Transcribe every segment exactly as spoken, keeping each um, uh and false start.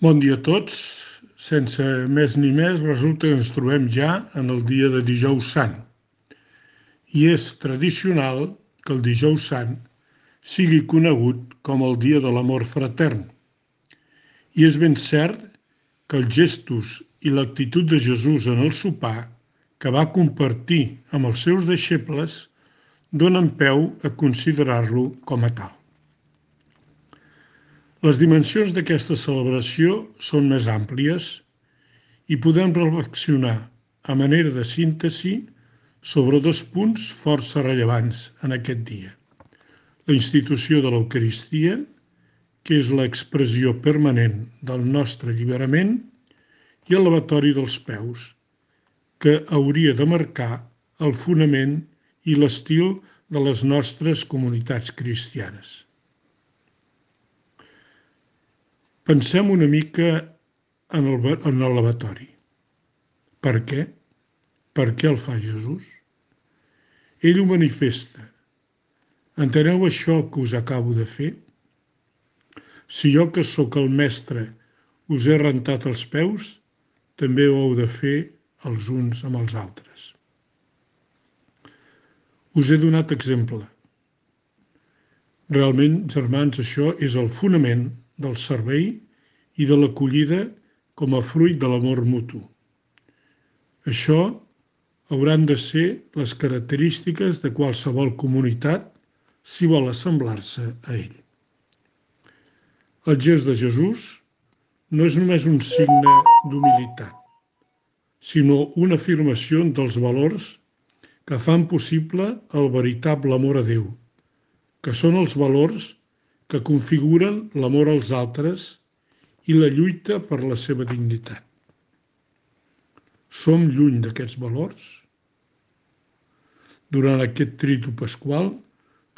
Bon dia a tots. Sense més ni més, resulta que ens trobem ja en el dia de Dijous Sant. I és tradicional que el Dijous Sant sigui conegut com el dia de l'amor fratern. I és ben cert que els gestos i l'actitud de Jesús en el sopar, que va compartir amb els seus deixebles, donen peu a considerar-lo com a tal. Les dimensions d'aquesta celebració són més àmplies i podem reflexionar a manera de síntesi sobre dos punts força rellevants en aquest dia. La institució de l'Eucaristia, que és l'expressió permanent del nostre alliberament, i el lavatori dels peus, que hauria de marcar el fonament i l'estil de les nostres comunitats cristianes. Pensem una mica en el, en el lavatori. Per què? Per què el fa Jesús? Ell ho manifesta. Enteneu això que us acabo de fer? Si jo, que sóc el mestre, us he rentat els peus, també ho heu de fer els uns amb els altres. Us he donat exemple. Realment, germans, això és el fonament del servei i de l'acollida com a fruit de l'amor mutu. Això hauran de ser les característiques de qualsevol comunitat si vol assemblar-se a ell. El gest de Jesús no és només un signe d'humilitat, sinó una afirmació dels valors que fan possible el veritable amor a Déu, que són els valors que configuren l'amor als altres i la lluita per la seva dignitat. Som lluny d'aquests valors? Durant aquest tridu pasqual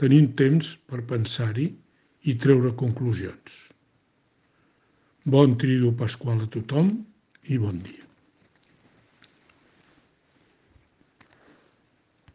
tenim temps per pensar-hi i treure conclusions. Bon tridu pasqual a tothom i bon dia.